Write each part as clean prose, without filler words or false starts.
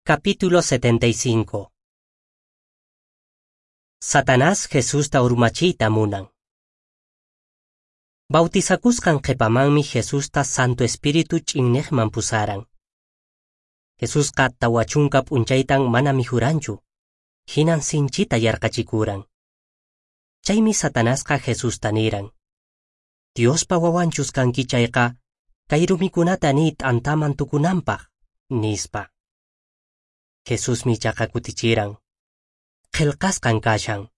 Capítulo 75. Satanás Jesusta urmachiyta munan. Bautizakusqan qhepamanmi Jesusta Santo Espíritu ch'inneqman pusaran. Jesusqa 40 p'unchaytan mana mikhuranchu, hinan sinchita yarqachikuran. Chaymi Satanasqa Jesusta niran: Diospa wawanchus kanki chayqa, kay rumikunata niy t'antaman tukunanpaq, nispa. Jesusmi ichaqa kutichiran: Qillqasqan kashan,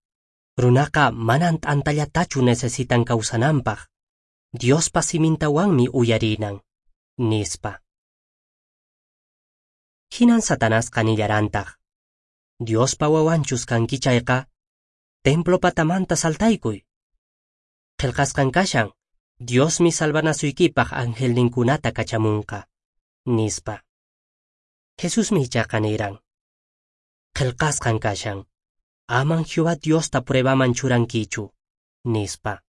runaqa manan t'antallatachu necesitan kawsananpaq, Diospa simintawanmi uyarinan, nispa. Hinan Satanasqa nillarantaq: Diospa wawanchus kanki chayqa, templo patamanta saltaykuy. Qillqasqan kashan, Diosmi salvanasuykipaq angelninkunata kachamunqa, nispa. Jesusmi ichaqa niran: Qillqasqan kashan, aman Jehová Diosta pruebaman churankichu, nispa.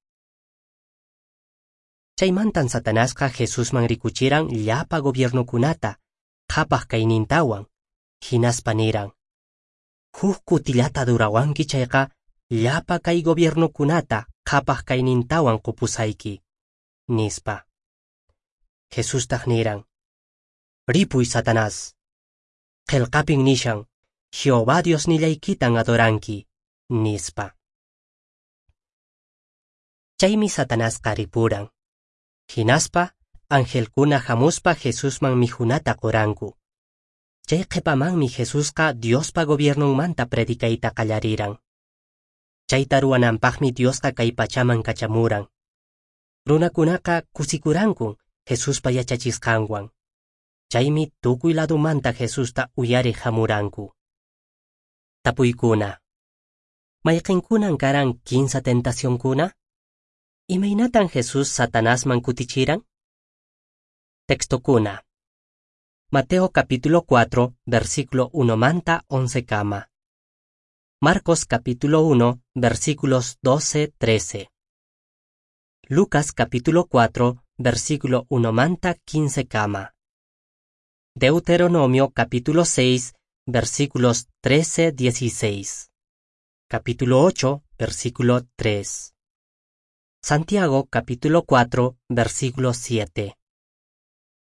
Chaymantan Satanasqa Jesusman rikuchiran llapa gobiernokunata, qhapaq kaynintawan, hinaspa niran: Huk kutillata adurawanki chayqa, llapa kay gobiernokunata qhapaq kaynintawan qupusayki, nispa. Jesustaq niran: Ripuy Satanás. Qillqapin nishan, Jehová Diosnillaykitan adoranki, nispa. Chaymi Satanasqa ripuran. Hinaspa, angelkuna hamuspa Jesusman mikhunata quranku. Chay qhipamanmi Jesusqa Diospa gobiernonmanta predicayta qallariran. Chayta ruwananpaqmi Diosqa kay pachaman kachamuran. Runakunaqa kusikurankun Jesuspa yachachisqanwan. Chaymi tukuy ladumanta Jesusta uyariq hamuranku. Tapuykuna. Mayqinkunan karan kinsa tentacionkuna? Imaynatan Jesús Satanasman kutichiran? Textokuna. Mateo capítulo 4, versículo 1 manta 11 kama. Marcos capítulo 1, versículos 12, 13. Lucas capítulo 4, versículo 1 manta 15 kama. Deuteronomio capítulo 6, versículos 13, 16. Capítulo 8, versículo 3. Santiago capítulo 4, versículo 7.